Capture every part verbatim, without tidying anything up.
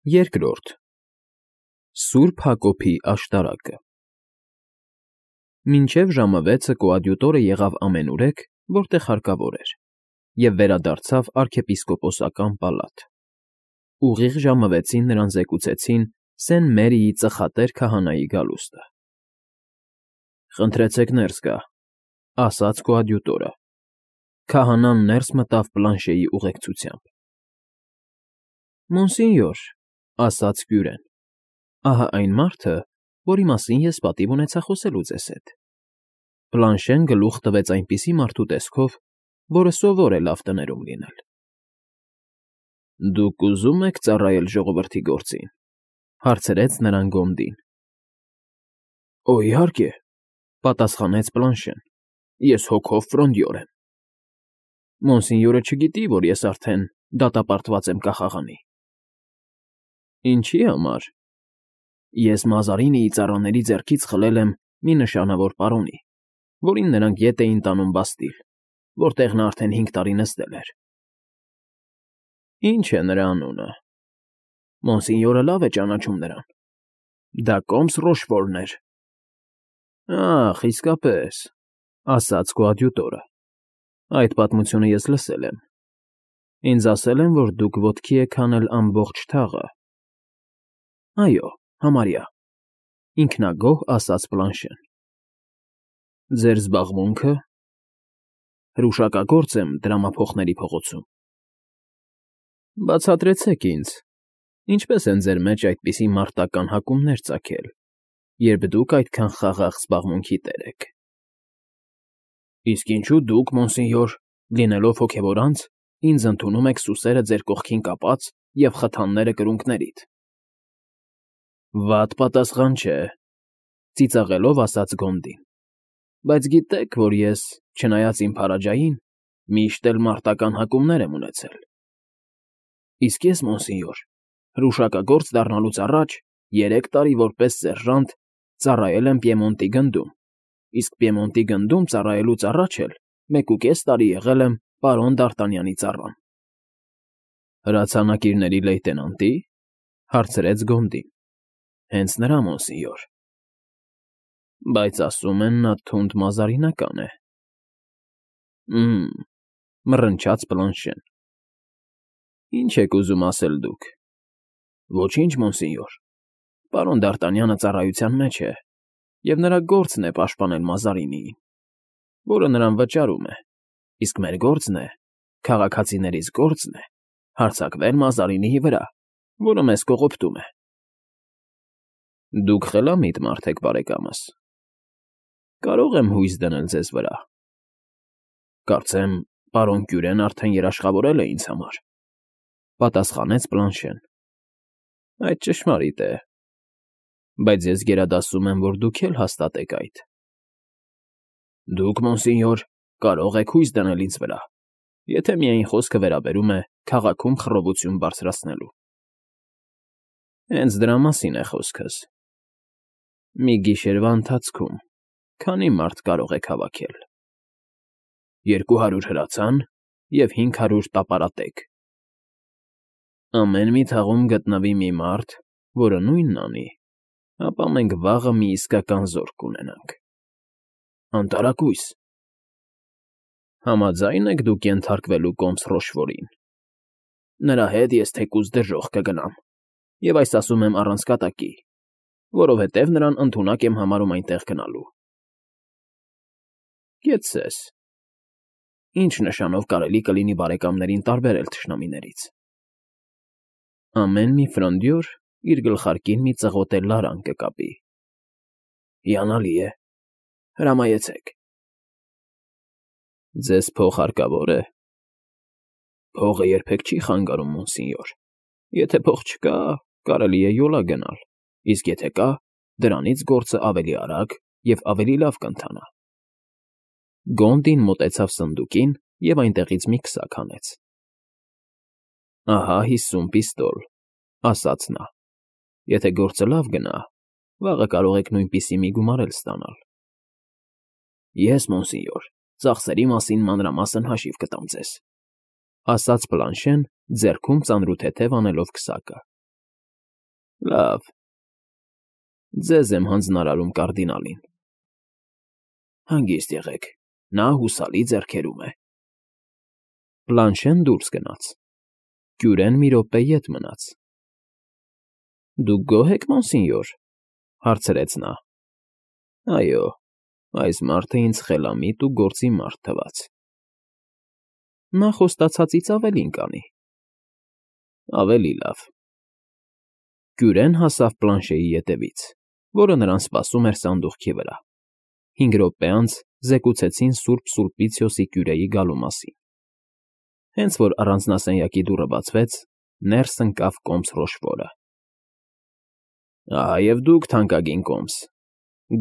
Երկրորդ Սուրբ Հակոբի աշտարակը Մինչև ժամը վեցը կոադյուտորը եղավ ամենուրեք, որտեղ հարկավոր էր, և վերադարձավ արքեպիսկոպոսական պալատ։ Ուղիղ ժամը վեցին նրան զեկուցեցին Սեն Մերիի ծխատեր քահանայի գալուստը։ ֊ Խնդրեցեք ներս գա,֊ ասաց կոադյուտորը։ Քահանան ներս մտավ Պլանշեի ուղեկցությամբ։ ֊ Մոնսինյոր,֊ ասաց կյուրեն,֊ ահա այն մարդը, որի մասին ես պատիվ ունեցա խոսելու ձեզ հետ։ Պլանշեն գլուխ տվեց այնպիսի մարդու տեսքով, որը սովոր է լավ տներում լինել։ ֊ Դուք ուզո՞ւմ եք ծառայել ժողովրդի գործին,֊ հարցրեց նրան Գոնդին։ ֊ Օ, իհարկե,֊ պատասխանեց Պլանշեն,֊ ես հոգով ֆրոնդյոր եմ։ ֊ Մոնսինյորը չգիտի, որ ես արդեն դատապարտված եմ կախաղանի։ ֊ Ինչի՞ համար։ ֊ Ես Մազարինիի ծառաների ձեռքից խլել եմ մի նշանավոր պարոնի, որին նրանք ետ էին տանում Բաստիլ, որտեղ նա արդեն հինգ տարի նստել էր։ ֊ Ի՞նչ է նրա անունը։ ֊ Մոնսինյորը լավ է ճանաչում նրան։ ֊ Դա Կոմս Ռոշֆորն էր։ ֊ Ախ, իսկապես,֊ ասաց կոադյուտորը,֊ այդ պատմությունը ես լսել եմ։ Ինձ ասել են, որ դուք ոտքի եք հանել ամբողջ թաղը։ ֊ Այո, համարյա,֊ ինքնագոհ ասաց Պլանշեն։ ֊ Ձեր զբաղմունքը։ ֊ Հրուշակագործ եմ դրամափոխների փողոցում։ ֊ Բացատրեցեք ինձ, ինչպե՞ս են ձեր մեջ այդպիսի մարտական հակումներ ծագել, երբ դուք այդքան խաղաղ զբաղմունքի տեր եք։ ֊ Իսկ ինչո՞ւ դուք, մոնսինյոր, լինելով հոգևոր անձ, ինձ ընդունում եք սուսերը ձեր կողքին կապած և խթանները կրունկներիդ։ ֊ Վատ պատասխան չէ,֊ ծիծաղելով ասաց Գոնդին,֊ բայց գիտեք, որ ես, չնայած իմ փարաջային, միշտ էլ մարտական հակումներ եմ ունեցել։ ֊ Իսկ ես, մոնսինյոր, հրուշակագործ դառնալուց առաջ երեք տարի որպես սերժանտ ծառայել եմ Պիեմոնտի գնդում, իսկ Պիեմոնտի գնդում ծառայելուց առաջ էլ մեկուկես տարի եղել եմ պարոն Դ'Արտանյանի ծառան։ ֊ Հրացանակիրների լեյտենանտի՞, հարցրեց Գոնդին։ ֊ Հենց նրա, մոնսինյոր։ ֊ Բայց ասում են, նա թունդ մազարինական է։ ֊ Մ֊մ,֊ մռնչաց Պլանշեն։ ֊ Ի՞նչ եք ուզում ասել դուք։ ֊ Ոչինչ, մոնսինյոր, պարոն Դ'Արտանյանը ծառայության մեջ է, և նրա գործն է պաշտպանել Մազարինիին, որը նրան վճարում է, իսկ մեր գործն է, քաղաքացիներիս գործն է հարձակվել Մազարինիի վրա, որը մեզ կողոպտում է։ ֊ Դուք խելամիտ մարդ եք, բարեկամս։ ֊ Կարող եմ հույս դնել ձեզ վրա։ ֊ Կարծեմ, պարոն Կյուրեն արդեն երաշխավորել է ինձ համար,֊ պատասխանեց Պլանշեն։ ֊ Այդ ճշմարիտ է, բայց ես գերադասում եմ, որ դուք էլ հաստատեք այդ։ ֊ Դուք, մոնսինյոր, կարող եք հույս դնել ինձ վրա, եթե միայն խոսքը վերաբերում է քաղաքում խռովություն բարձրացնելու։ ֊ Հենց դրա մասին է խոսքս։ ֊ Մի գիշերվա ընթացքում քանի՞ մարդ կարող եք հավաքել։ ֊ Երկու հարյուր հրացան և հինգ հարյուր տապարատեգ։ ֊ Ամեն մի թաղում գտնվի մի մարդ, որը նույնն անի, ապա մենք վաղը մի իսկական զորք կունենանք։ ֊ Անտարակույս։ ֊ Համաձա՞յն եք դուք ենթարկվելու Կոմս Ռոշֆորին։ ֊ Նրա հետ ես թեկուզ դժոխք կգնամ, և այս ասում եմ առանց կատակի, որովհետև նրան ընդունակ եմ համարում այնտեղ գնալու։ ֊ Կեցցես։ Ի՞նչ նշանով կարելի կլինի բարեկամներին տարբերել թշնամիներից։ ֊ Ամեն մի ֆրոնդյոր իր գլխարկին մի ծղոտե լարան կկապի։ ֊ Հիանալի է, հրամայեցեք։ ֊ Ձեզ փող հարկավո՞ր է։ ֊ Փողը երբեք չի խանգարում, մոնսինյոր։ Եթե փող չկա, կարելի է յոլա գնալ, իսկ եթե կա, դրանից գործը ավելի արագ և ավելի լավ կընթանա։ Գոնդին մոտեցավ սնդուկին և այնտեղից մի քսակ հանեց։ ֊ Ահա հիսուն պիստոլ,֊ ասաց նա։ Եթե գործը լավ գնա, վաղը կարող եք նույնպիսի մի գումար էլ ստանալ։ ֊ Ես, մոնսինյոր, ծախսերի մասին մանրամասն հաշիվ կտամ ձեզ,֊ ասաց Պլանշեն, ձեռքում ծանրութեթև անելով քսակը։ Լավ, ձեզ եմ հանձնարարում կարդինալին։ Հանգիստ եղեք, նա հուսալի ձեռքերում է։ Բլանշեն դուրս գնաց։ Կյուրեն մի րոպե ետ մնաց։ Դուք գոհ եք, մոնսինյոր, հարցրեց նա։ Այո, այս մարդը ինձ խելամիտ ու գործի մարդ թվաց։ Նա խոստացածից ավելին կանի։ Ավելի լավ։ Կյուրեն հասավ Բլանշեի ետևից, որը նրան սպասում էր սանդուղքի վրա։ Հինգ րոպե անց զեկուցեցին Սուրբ Սուլպիցիոսի կյուրեի գալու մասին։ Հենց որ առանձնասենյակի դուռը բացվեց, ներս ընկավ կոմս Ռոշֆորը։ Ահա և դուք, թանկագին կոմս,֊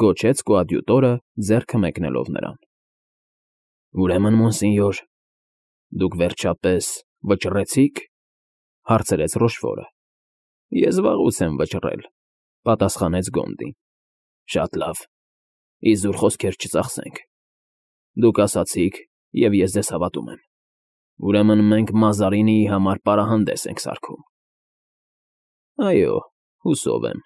գոչեց կոադյուտորը, ձեռքը մեկնելով նրան։ Ուրեմն, մոնսինյոր, դուք վերջապես վճռեցի՞ք,֊ հարցրեց Ռոշֆորը։ Ես վաղուց եմ վճռել,֊ պատասխանեց Գոնդին։ Շատ լավ, իզուր խոսքեր չծախսենք։ Դուք ասացիք, և ես ձեզ հավատում եմ։ Ուրեմն մենք Մազարինիի համար պարահանդես ենք սարքում։ Այո, հուսով եմ։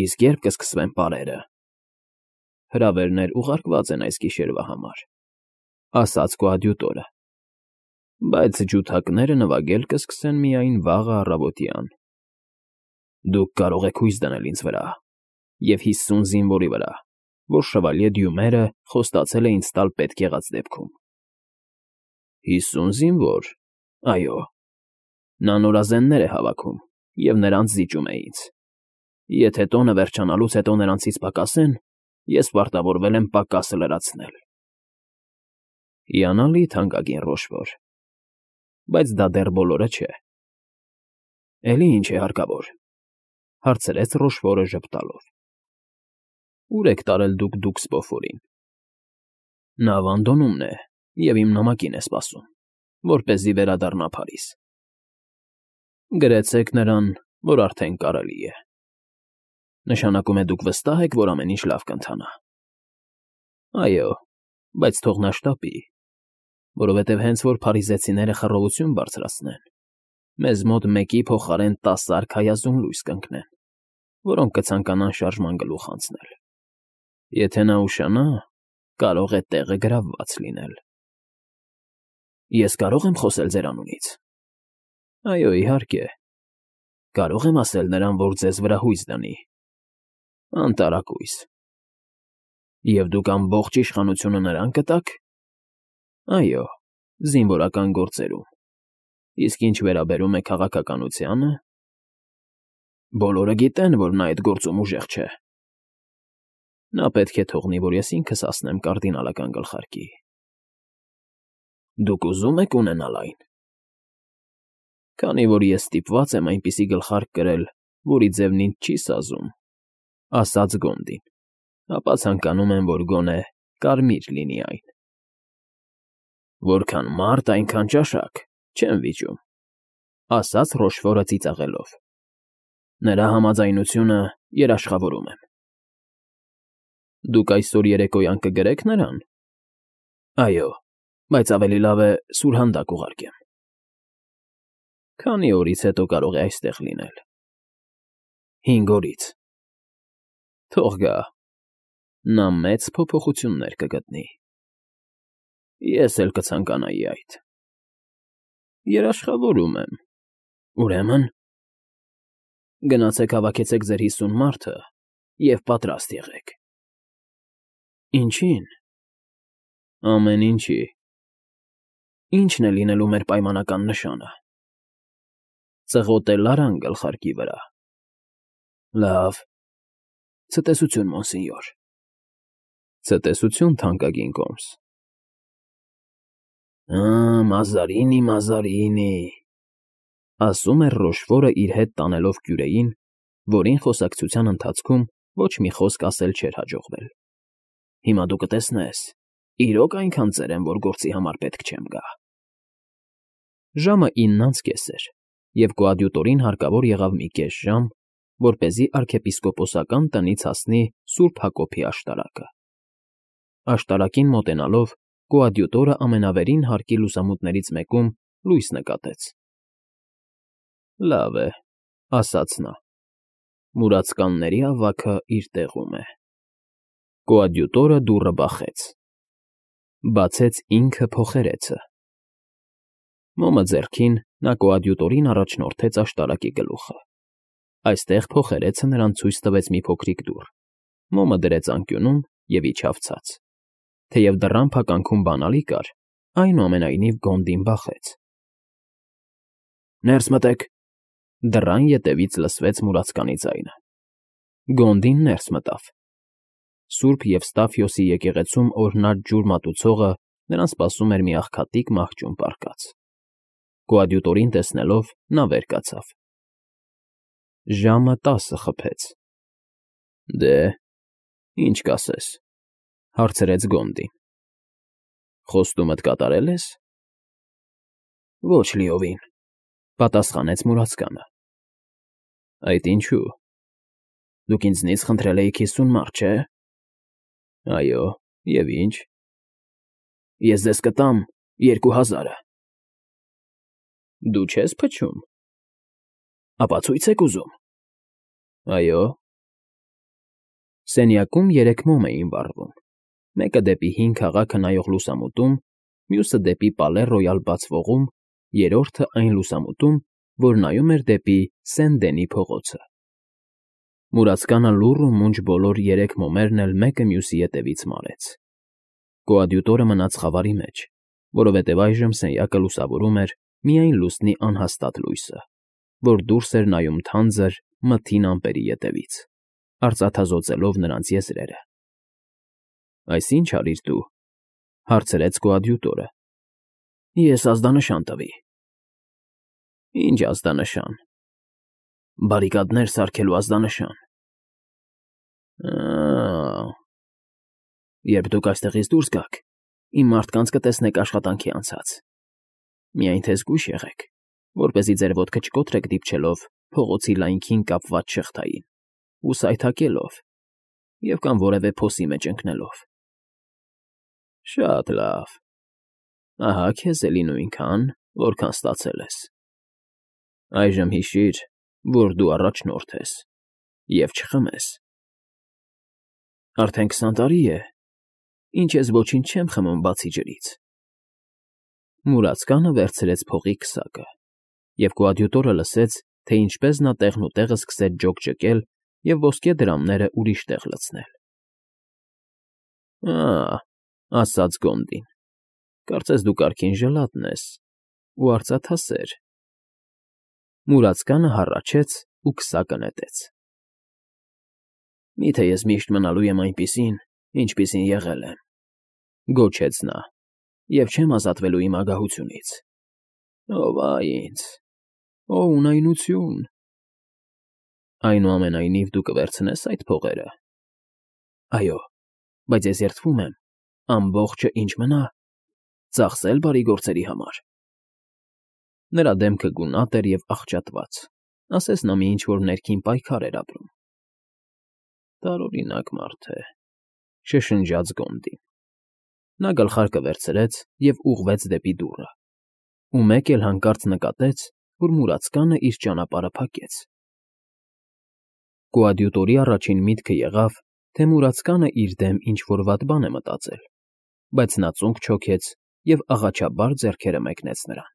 Իսկ ե՞րբ կսկսվեն պարերը։ Հրավերներ ուղարկված են այս գիշերվա համար,֊ ասաց կոադյուտորը։ Բայց ջութակները նվագել կսկսեն միայն վաղը առավոտյան։ Դուք կարող եք հույս դնել ինձ վրա և հիսուն զինվորի վրա, որ շվալյե Դյումերը խոստացել է ինձ տալ պետք եղած դեպքում։ Հիսուն զինվո՞ր, այո։ Նա նորազեններ է հավաքում և նրանց զիջում է ինձ։ Եթե տոնը վերջանալուց հետո նրանցից պակասեն, ես պարտավորվել եմ պակասը լրացնել։ Հիանալի, թանկագին Ռոշֆոր, բայց դա դեռ բոլորը չէ։ Էլի ինչ է հարկավոր,֊ հարցրեց Ռոշֆորը ժպտալով։ Ո՞ւր եք տարել դուք Դուքսպոֆորին։ Նա Ավանդոնում է և իմ նամակին է սպասում, որպեսզի վերադառնա Փարիզ։ Գրեցեք նրան, որ արդեն կարելի է։ Նշանակում է դուք վստահ եք, որ ամեն ինչ լավ կընթանա։ Այո, բայց թող նա շտապի, որովհետև հենց որ փարիզեցիները խռովություն բարձրացնեն, մեզ մոտ մեկի փոխարեն տասը արքայազուն լույս կընկնեն, որոնք կցանկանան շարժման գլուխ անցնել։ Եթե նա ուշանա, կարող է տեղը գրավված լինել։ Ես կարո՞ղ եմ խոսել ձեր անունից։ Այո, իհարկե։ Կարող եմ ասել նրան, որ ձեզ վրա հույս դնի։ Անտարակույս։ Եվ դուք ամբողջ իշխանությունը նրան կտաք։ Այո, զինվորական գործերում։ Իսկ ինչ վերաբերում է քաղաքականությանը… Բոլորը գիտեն, որ նա այդ գործում ուժեղ չէ։ Նա պետք է թողնի, որ ես ինքս հասնեմ կարդինալական գլխարկի։ Դուք ուզում եք ունենալ այն։ Քանի որ ես ստիպված եմ այնպիսի գլխարկ կրել, որի ձևն ինձ չի սազում,֊ ասաց Գոնդին,֊ ապա ցանկանում եմ, որ գոնե կարմիր լինի այն։ Որքան մարդ, այնքան ճաշակ, չեմ վիճում,֊ ասաց Ռոշֆորը ծիծաղելով։ Նրա համաձայնությունը երաշխավորում եմ։ Դուք այսօր երեկոյան կգրե՞ք նրան։ Այո, բայց ավելի լավ է սուրհանդակ ուղարկեմ։ Քանի օրից հետո կարող է այստեղ լինել։ Հինգ օրից։ Թող գա։ Նա մեծ փոփոխություններ կգտնի։ Ես էլ կցանկանայի այդ։ Երաշխավորում եմ։ Ուրեմն… Գնացեք հավաքեցեք ձեր հիսուն մարդը և պատրաստ եղեք։ Ինչի՞ն։ Ամեն ինչի։ Ի՞նչն է լինելու մեր պայմանական նշանը։ Ծղոտել արան գլխարկի վրա։ Լավ։ Ցտեսություն, մոնսինյոր։ Ցտեսություն, թանկագին կոմս։ Ա, Մազարինի, Մազարինի,֊ ասում էր Ռոշֆորը իր հետ տանելով կյուրեին, որին խոսակցության ընթացքում ոչ մի խոսք ասել չէր հաջողվել։ Հիմա դու կտեսնես, իրոք այնքան ծեր եմ, որ գործի համար պետք չեմ գա։ Ժամը ինն անց կես էր, և կոադյուտորին հարկավոր եղավ մի կես ժամ, որպեսզի արքեպիսկոպոսական տնից հասնի Սուրբ Հակոբի աշտարակը։ Աշտարակին մոտենալով, կոադյուտորը ամենավերին հարկի լուսամուտներից մեկում լույս նկատեց։ Լավ է, ասաց նա։ Մուրացկանների ավագը իր տեղում է։ Կոադյուտորը դուռը բախեց։ Բացեց ինքը փոխերեցը։ Մոմը ձեռքին նա կոադյուտորին առաջնորդեց աշտարակի գլուխը։ Այստեղ փոխերեցը նրան ցույց տվեց մի փոքրիկ դուռ։ Մոմը դրեց անկյունում և իջավ ցած։ Թեև դռան փականքում բանալի կար, այնուամենայնիվ Գոնդին բախեց։ Ներս մտեք։ Դռան ետևից լսվեց մուրացկանի ձայնը։ Գոնդին ներս մտավ։ Սուրբ Եվստաֆիոսի եկեղեցում օրհնած ջուր մատուցողը նրան սպասում էր մի աղքատիկ մահճում պառկած։ Կոադյուտորին տեսնելով նա վեր կացավ։ Ժամը տասը խփեց։ Դե, ինչ կասես, հարցրեց Գոնդին։ Խոստումդ կատարել ես։ Ոչ լիովին, պատասխանեց մուրացկանը։ Այդ ինչու։ Դուք ինձնից խնդրել էիք հիսուն մարկ, չէ։ Այո, և ինչ։ Ես ձեզ կտամ երկու հազարը։ Դու չես փչում։ Ապա ցույց եք ուզում։ Այո։ Սենյակում երեք մոմ էին վառվում, մեկը դեպի հին քաղաքը նայող լուսամուտում, մյուսը դեպի Պալե Ռոյալ բացվողում, երրորդը այն լուսամուտում, որ նայում էր դեպի Սեն֊Դենի փողոցը։ Մուրացկանը լուռ ու մունջ բոլոր երեք մոմերն էլ մեկը մյուսի ետևից մարեց։ Կոադյուտորը մնաց խավարի մեջ, որովհետև այժմ սենյակը լուսավորում էր միայն լուսնի անհաստատ լույսը, որ դուրս էր նայում թանձր, մթին ամպերի ետևից, արծաթազօծելով նրանց եզրերը։ Այս ի՞նչ արիր դու, հարցրեց կոադյուտորը։ Ես ազդանշան տվի։ Ինչ ազդանշան։ Բարիկադներ սարքելու ազդանշան։ Ա՜։ Երբ դուք այստեղից դուրս գաք, իմ մարդկանց կտեսնեք աշխատանքի անցած։ Միայն թե զգույշ եղեք, որպեսզի ձեր ոտքը չկոտրեք դիպչելով փողոցի լայնքին կապված շղթային ու սայթաքելով և կամ որևէ փոսի մեջ ընկնելով։ Շատ լավ։ Ահա քեզ էլի նույնքան, որքան ստացել ես։ Այժմ հիշիր, որ դու առաջնորդ ես և չխմես։ Արդեն քսան տարի է, ինչ ես ոչինչ չեմ խմում բացի ջրից։ Մուրացկանը վերցրեց փողի քսակը, և կոադյուտորը լսեց, թե ինչպես նա տեղնուտեղը սկսեց ջոկջկել և ոսկե դրամները ուրիշ տեղ լցնել։ Ա՜, ասաց Գոնդին, կարծես դու կարգին ժլատն ես ու արծաթասեր։ Մուրացկանը հառաչեց ու քսակը նետեց։ Մի՞թե ես միշտ մնալու եմ այնպիսին, ինչպիսին եղել եմ, գոչեց նա, և չեմ ազատվելու իմ ագահությունից։ Ով այ ինձ, օ ունայնություն։ Այնուամենայնիվ դու կվերցնես այդ փողերը։ Այո, բայց ես երդվում եմ, ամբողջը ինչ մնա, ծախսել բարի գործերի համար։ Նրա դեմքը գունատ էր և աղճատված, ասես նա մի ինչ֊որ ներքին պայքար էր ապրում։ Տարօրինակ մարդ է, շշնջաց Գոնդին։ Նա գլխարկը վերցրեց և ուղղվեց դեպի դուռը, ու մեկ էլ հանկարծ նկատեց, որ մուրացկանը իր ճանապարհը փակեց։ Կոադյուտորի առաջին միտքը եղավ, թե մուրացկանը իր դեմ ինչ֊որ վատ բան է մտածել, բայց նա ծունկ չոքեց և աղաչաբար ձեռքերը մեկնեց նրան։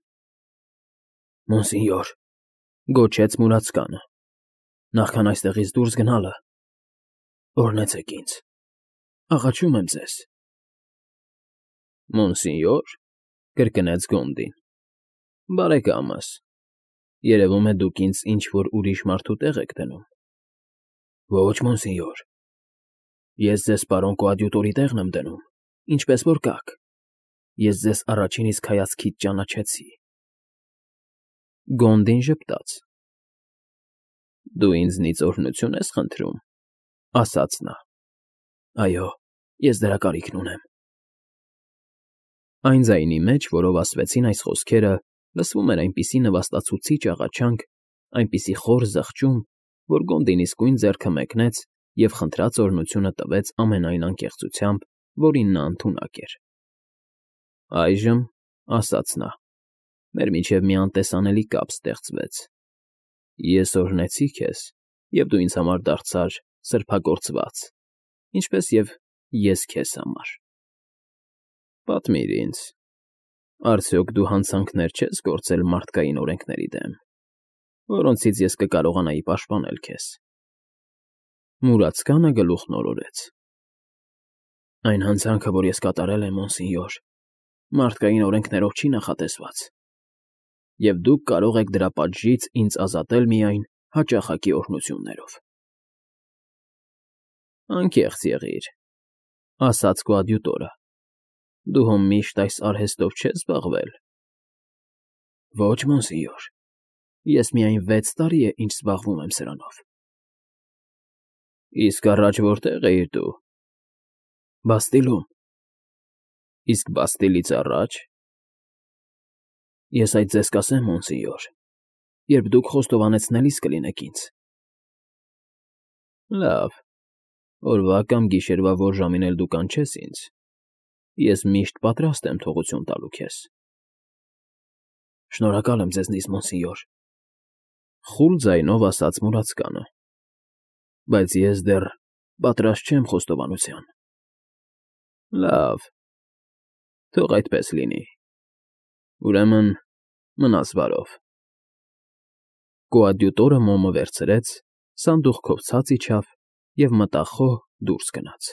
Մոնսինյոր, գոչեց մուրացկանը, նախքան այստեղից դուրս գնալը, օրհնեցեք ինձ, աղաչում եմ ձեզ։ Մոնսինյոր, կրկնեց Գոնդին, բարեկամս, երևում է դուք ինձ ինչ֊որ ուրիշ մարդու տեղ եք դնում։ Ոչ, մոնսինյոր, ես ձեզ պարոն կոադյուտորի տեղն եմ դնում, ինչպես որ կաք, ես ձեզ առաջին իսկ հայացքից ճանաչեցի։ Գոնդին ժպտաց։ Դու ինձնից օրհնություն ես խնդրում, ասաց նա։ Այո, ես դրա կարիքն ունեմ։ Այն ձայնի մեջ, որով ասվեցին այս խոսքերը, լսվում էր այնպիսի նվաստացուցիչ աղաչանք, այնպիսի խոր զղջում, որ Գոնդին իսկույն ձեռքը մեկնեց և խնդրած օրհնությունը տվեց ամենայն անկեղծությամբ, որին նա ընդունակ էր։ Այժմ, ասաց նա, մեր միջև մի անտեսանելի կապ ստեղծվեց։ Ես օրհնեցի քեզ, և դու ինձ համար դարձար սրբագործված, ինչպես և ես քեզ համար։ Պատմիր ինձ, արդյոք դու հանցանքներ չես գործել մարդկային օրենքների դեմ, որոնցից ես կկարողանայի պաշտպանել քեզ։ Մուրացկանը գլուխն օրորեց։ Այն հանցանքը, որ ես կատարել եմ, մոնսինյոր, մարդկային օրենքներով չի նախատեսված, և դուք կարող եք դրա պատժից ինձ ազատել միայն հաճախակի օրհնություններով։ Անկեղծ եղիր, ասաց կոադյուտորը, դու հո միշտ այս արհեստով չես զբաղվել։ Ոչ, մոնսինյոր, ես միայն վեց տարի է, ինչ զբաղվում եմ սրանով։ Իսկ առաջ որտե՞ղ էիր դու։ Բաստիլում։ Իսկ Բաստիլից առաջ։ Ես այդ ձեզ կասեմ, մոնսինյոր, երբ դուք խոստովանեցնելիս կլինեք ինձ։ Լավ, օրվա կամ գիշերվա որ ժամին էլ դու կանչես ինձ, ես միշտ պատրաստ եմ թողություն տալու քեզ։ Շնորհակալ եմ ձեզնից, մոնսինյոր, խուլ ձայնով ասաց մուրացկանը, բայց ես դեռ պատրաստ չեմ խոստովանության։ Լավ, թող այդպես լինի, ուրեմն մնաս բարով։ Կոադյուտորը մոմը վերցրեց, սանդուղքով ցած իջավ և մտախոհ դուրս գնաց։